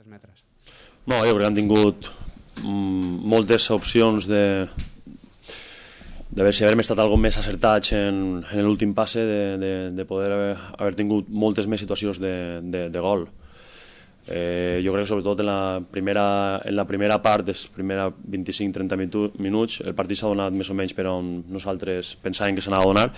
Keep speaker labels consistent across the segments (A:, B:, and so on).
A: metres.
B: No, jo crec que han tingut moltes opcions de veure si haver estat algo més acertats en l'últim passe, de poder haver tingut moltes més situacions de gol. Jo crec que sobretot en la primera part, les primera 25-30 minuts, el partit s'ha donat més o menys per on nosaltres pensàvem que s'anava a donar,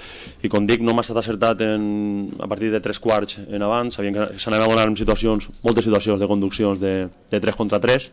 B: i com dic, no m'ha estat acertat a partir de 3/4 en avant. Sabíem que s'anava a donar en moltes situacions de conduccions de 3 contra 3,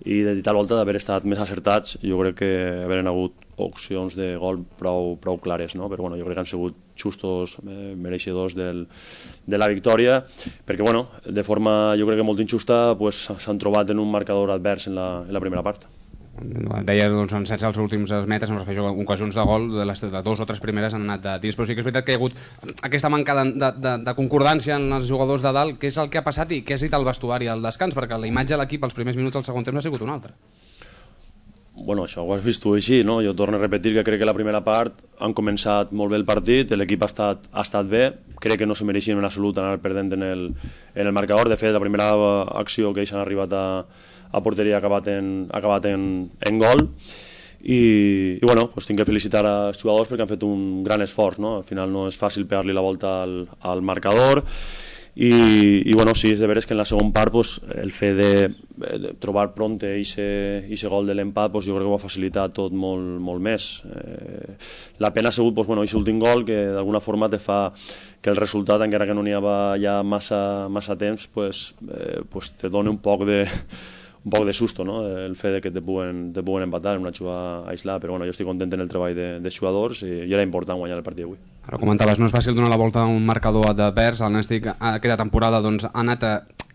B: i de tal volta d'haver estat més acertats, jo crec que haveren hagut opcions de gol prou clares, no? Però bueno, jo crec que han sigut justos, mereixedors de la victòria, perquè bueno, de forma jo crec que molt injusta s'han trobat en un marcador advers en la primera part.
A: Deia, doncs, sense els últims metres, em refereixo a ocasions de gol, de les 2 o 3 primeres han anat de tirs, però sí que és veritat que hi ha hagut aquesta manca de concordància en els jugadors de dalt. Què és el que ha passat i què ha dit el vestuari al descans? Perquè la imatge de l'equip als primers minuts del segon temps ha sigut una altra.
B: Bueno, això ho has vist tu així, no? Jo torno a repetir que crec que la primera part han començat molt bé el partit, l'equip ha estat bé, crec que no se mereixien en absolut anar perdent en el marcador. De fet, la primera acció que ells han arribat a porteria ha acabat en gol, i bueno, doncs tinc que felicitar els jugadors perquè han fet un gran esforç, no? Al final no és fàcil pegar-li la volta al marcador, i bueno, sí, és de veres que en la segona part el fet de trobar pront aquest gol de l'empat, jo crec que ho ha facilitat tot molt més. La pena ha sigut aquest últim gol, que d'alguna forma te fa que el resultat, encara que no n'hi havia ja massa temps, te dona un poc de susto, no? El fet que te puguen empatar en una jugada aislada, però bueno, jo estic content en el treball dels jugadors, i era important guanyar el partit d'avui.
A: Ara comentaves, no és fàcil donar la volta a un marcador advers. El Nàstic aquesta temporada ha anat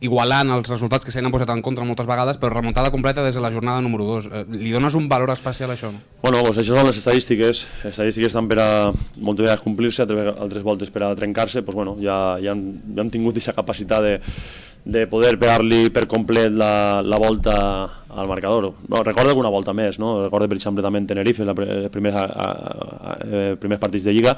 A: igualant els resultats que s'han posat en contra moltes vegades, però remuntada completa des de la jornada número 2. Li dones un valor especial a això?
B: Bueno, doncs això són les estadístiques. Les estadístiques estan per a moltes vegades complir-se, altres voltes per a trencar-se. Doncs bueno, ja hem tingut aquesta capacitat de poder pegar-li per complet la volta al marcador. No, recordo alguna volta més, no? Recordo per exemple també en Tenerife, els primers partits de Lliga.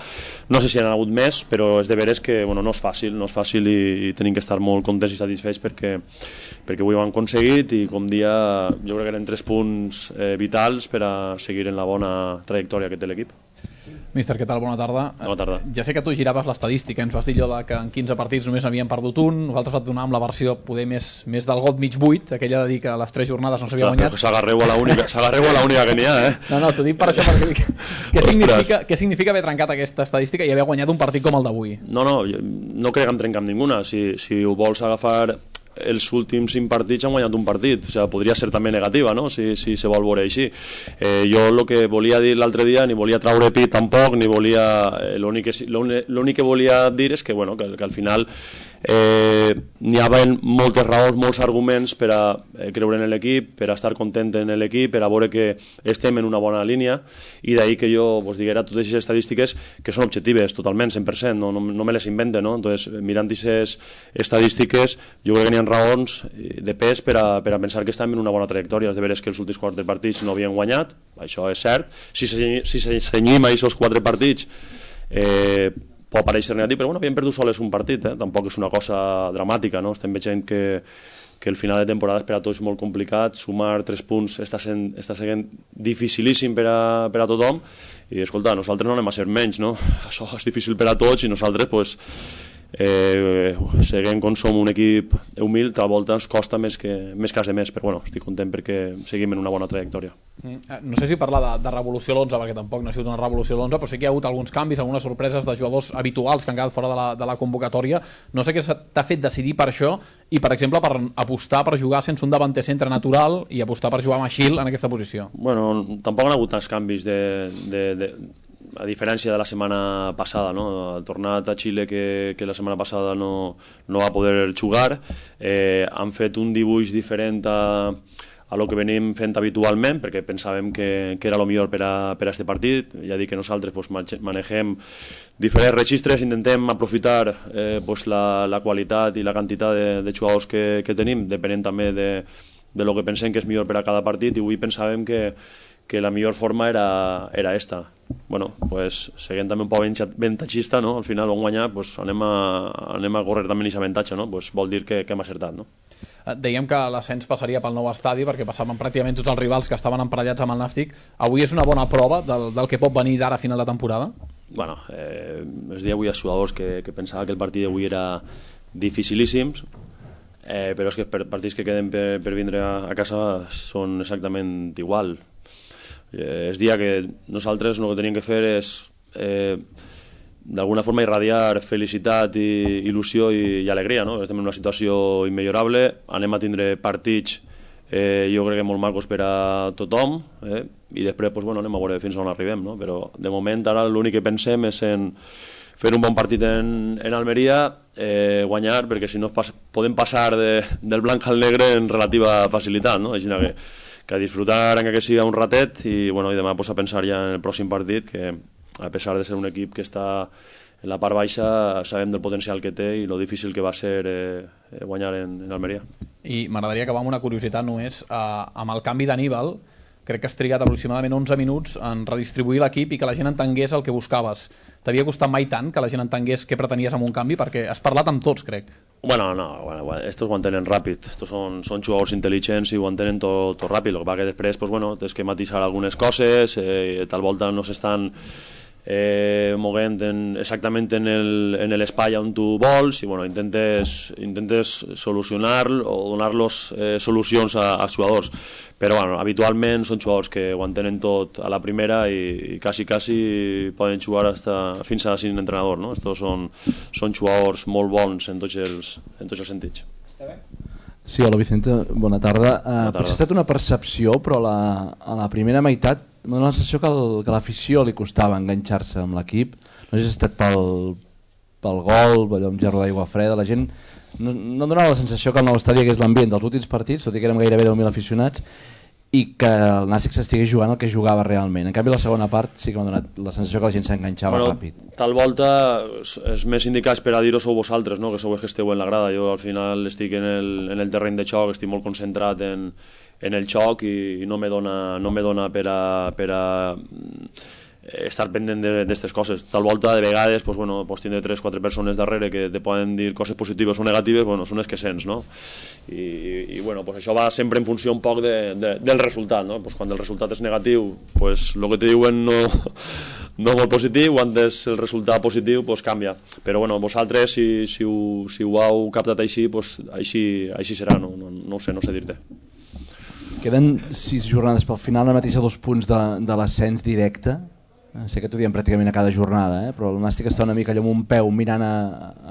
B: No sé si han hagut més, però és de veres que no és fàcil, i tenim que estar molt contents i satisfets perquè avui ho han aconseguit, i com dia jo crec que eren 3 punts vitals per a seguir en la bona trajectòria que té l'equip.
C: Míster, què tal? Bona tarda.
B: Bona tarda.
C: Ja sé que tu giraves l'estadística, ens vas dir allò que en 15 partits només havien perdut un, nosaltres et donàvem la versió poder més del got mig buit, aquella de dir que a les 3 jornades no s'havia guanyat.
B: S'agarreu a l'única que n'hi ha, eh?
C: No, t'ho dic per això, perquè què significa haver trencat aquesta estadística i haver guanyat un partit com el d'avui?
B: No crec que hem trencat ninguna. Si ho vols agafar, els últims 5 partits han guanyat un partit, o sigui, podria ser també negativa, no? si se vol veure així. Jo el que volia dir l'altre dia, ni volia traure pit tampoc, ni volia... L'únic que volia dir és que al final n'hi havia moltes raons, molts arguments per a creure en l'equip, per a estar content en l'equip, per a veure que estem en una bona línia, i d'ahir que jo diguera totes aquestes estadístiques que són objectives totalment, 100%, no me les invente, no? Entonces, mirant aquestes estadístiques, jo crec que n'hi ha raons de pes per a pensar que estem en una bona trajectòria. És de veres que els últims 4 partits no havien guanyat, això és cert. Si senyim a aquests 4 partits, pot pareixer negatiu, però havíem perdut sols un partit, tampoc és una cosa dramàtica, no? Estem veient que el final de temporada és per a tots molt complicat, sumar 3 punts està sent dificilíssim per a tothom, i escolta, nosaltres no anem a ser menys, no? Això és difícil per a tots, i nosaltres seguim com som un equip humil, tal volta ens costa més que els demés, però estic content perquè seguim en una bona trajectòria.
C: No sé si parlar de revolució a l'11, perquè tampoc no ha sigut una revolució a l'11, però sí que hi ha hagut alguns canvis, algunes sorpreses de jugadors habituals que han quedat fora de la convocatòria. No sé què t'ha fet decidir per això i, per exemple, per apostar per jugar sense un davanter centre natural i apostar per jugar amb Achille en aquesta posició.
B: Bueno, tampoc han hagut tants canvis a diferència de la setmana passada, no? Ha tornat a Xile que la setmana passada no va poder jugar. Han fet un dibuix diferent a lo que venim fent habitualment, perquè pensàvem que era el millor per a aquest partit. Ja dic que nosaltres manegem diferents registres, intentem aprofitar la qualitat i la quantitat de jugadors que tenim, depenent també de lo que pensem que és millor per a cada partit, i avui pensàvem que la millor forma era esta. Seguint també un poc avantatgista, no? Al final on guanyar, anem a córrer també aquest avantatge, no? Vol dir que hem acertat, no?
C: Dèiem que l'ascens passaria pel nou estadi perquè passaven pràcticament tots els rivals que estaven emparellats amb el Nàstic. Avui és una bona prova del que pot venir d'ara a final de temporada?
B: Bueno, es deia avui als jugadors que pensava que el partit d'avui era dificilíssims, però és que partits que queden per vindre a casa són exactament igual. Es dia que nosaltres el que teníem que fer és d'alguna forma irradiar felicitat, i il·lusió i alegria, no? Estem en una situació immillorable, anem a tindre partits jo crec que molt macos per a tothom, i després pues, bueno, anem a veure fins on arribem, no? Però de moment ara l'únic que pensem és en fer un bon partit en Almeria, guanyar, perquè si no podem passar del blanc al negre en relativa facilitat, no? Així que a disfrutar encara que sigui un ratet i, bueno, i demà pues, a pensar ja en el pròxim partit, que a pesar de ser un equip que està en la part baixa, sabem del potencial que té i lo difícil que va ser guanyar en Almeria.
C: I m'agradaria acabar amb una curiositat només, amb el canvi d'Aníbal. Crec que has trigat aproximadament 11 minuts en redistribuir l'equip i que la gent entengués el que buscaves. T'havia costat mai tant que la gent entengués què pretenies amb un canvi? Perquè has parlat amb tots, crec.
B: Bueno, estos ho entenen ràpid. Estos són jugadors intel·ligents i ho entenen tot ràpid. El que passa que després pues, bueno, tens que matisar algunes coses, tal volta no s'estan moguent exactament en l'espai on tu vols i bueno, intentes solucionar o donar-los solucions als jugadors, però bueno, habitualment són jugadors que ho entenen tot a la primera i quasi poden jugar fins a sin entrenador, no? Estos són jugadors molt bons en tots els sentits.
D: Sí, hola Vicente, bona tarda. Potser ha estat una percepció, però a la primera meitat m'ha donat la sensació que l'afició li costava enganxar-se amb l'equip. No sé si ha estat pel gol, allò amb gerro d'aigua freda, la gent no donava la sensació que el nou estadi hagués l'ambient dels últims partits, tot i que érem gairebé 10.000 aficionats, i que el Nàstic s'estigués jugant el que jugava realment. En canvi, la segona part sí que m'ha donat la sensació que la gent s'enganxava ràpid.
B: Tal volta és més indicats per a dir-ho sou vosaltres, no? Que sou els que esteu en la grada. Jo al final estic en el terreny de xoc, estic molt concentrat en el xoc i no me dona per a estar pendent d'aquestes coses. Tal volta, de vegades, pues, bueno, pues, tindre 3-4 persones darrere que te poden dir coses positives o negatives, bueno, són les que sents, no? I bueno, pues, això va sempre en funció un poc del resultat, no? Pues, quan el resultat és negatiu, pues, el que te diuen no molt positiu, quan és el resultat positiu, pues, canvia. Però bueno, vosaltres, si ho heu captat així, pues, així serà, no ho sé, no sé dir-te.
D: Queden 6 jornades pel final, ara mateix a 2 punts de l'ascens directe. Sé que t'ho diem pràcticament a cada jornada, però el Nàstic està una mica allò amb un peu mirant a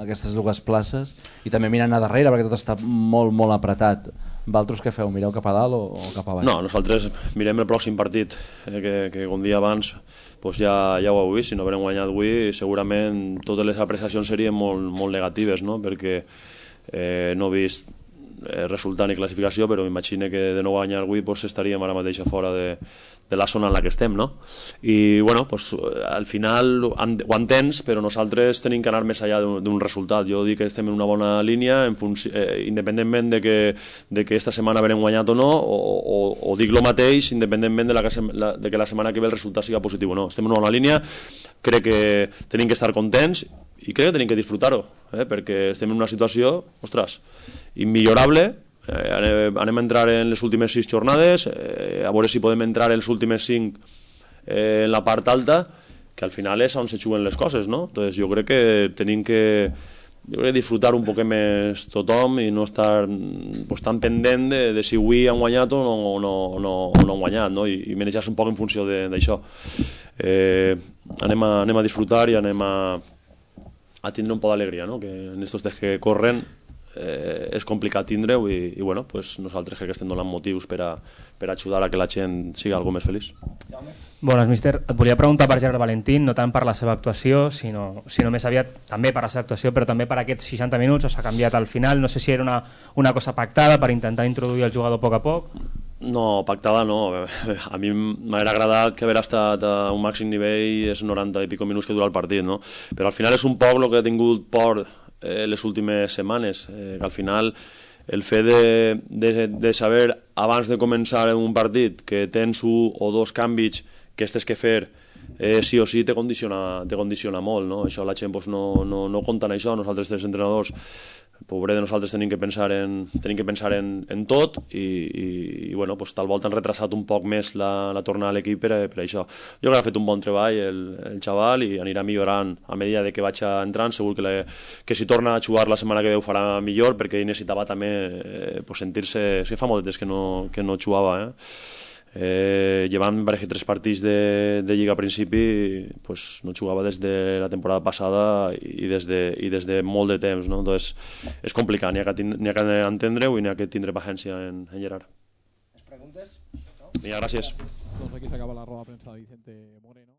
D: aquestes dues places i també mirant a darrere perquè tot està molt, molt apretat. Valtros què feu? Mireu cap a dalt o cap a baix?
B: No, nosaltres mirem el pròxim partit, que un dia abans pues ja ho heu vist, si no haurem guanyat avui segurament totes les apreciacions serien molt negatives, no? Perquè no he vist resultat ni classificació, però m'imagino que de no guanyar avui pues, estaríem ara mateix fora de la zona en la que estem, no? I bueno, pues, al final ho entens, però nosaltres tenim que anar més enllà d'un resultat. Jo dic que estem en una bona línia independentment de que esta setmana haurem guanyat o no, o dic el mateix independentment de que la setmana que ve el resultat siga positiu o no. Estem en una bona línia, crec que tenim que estar contents i crec que tenim que disfrutar-ho, perquè estem en una situació, ostres, immillorable. Anem a entrar en les últimes 6 jornades, a veure si podem entrar en les últimes 5 en la part alta, que al final és on se juguen les coses, no? Entonces, jo crec que tenim que disfrutar un poc més tothom i no estar pues, tan pendent de si avui han guanyat o no han guanyat, no? I manejar-se un poc en funció d'això. Anem a disfrutar i anem a tindre un poc d'alegria, no? Que en estos dies que corren és complicat tindre-ho i bueno, pues nosaltres crec que estem donant motius per ajudar a que la gent sigui algo més feliç.
E: Bones, míster. Et volia preguntar per Gerard Valentín, no tant per la seva actuació, sinó més aviat també per la seva actuació, però també per aquests 60 minuts, s'ha canviat al final, no sé si era una cosa pactada per intentar introduir el jugador a poc a poc.
B: No, pactada no. A mi m'hauria agradat que haver estat a un màxim nivell és 90 i pico minuts que dura el partit, no? Però al final és un poc el que he tingut por les últimes setmanes, que al final el fet de saber abans de començar un partit que tens 1 o 2 canvis que tens que fer sí o sí te condiciona molt, no? Això la gent no compta en això, nosaltres tres entrenadors, pobre de nosaltres tenim que pensar en tot i bueno, pues, tal volta han retrasat un poc més la tornada a l'equip per això. Jo crec que ha fet un bon treball el xaval i anirà millorant a medida de que vaig entrant. Segur que si torna a jugar la setmana que ve ho farà millor, perquè ell necessitava també pues, sentir-se... És que fa molt de temps que no jugava, llevant parece 3 partits de Lliga a principi, pues, no jugava des de la temporada passada i des de molt de temps, no? Entonces, és complicat, n'hi ha que entendre-ho i n'hi ha que tindre paciència en Gerard.
F: Les preguntes?
B: Vinga, gràcies.
C: Doncs aquí s'acaba la roda de premsa de Vicente Moreno.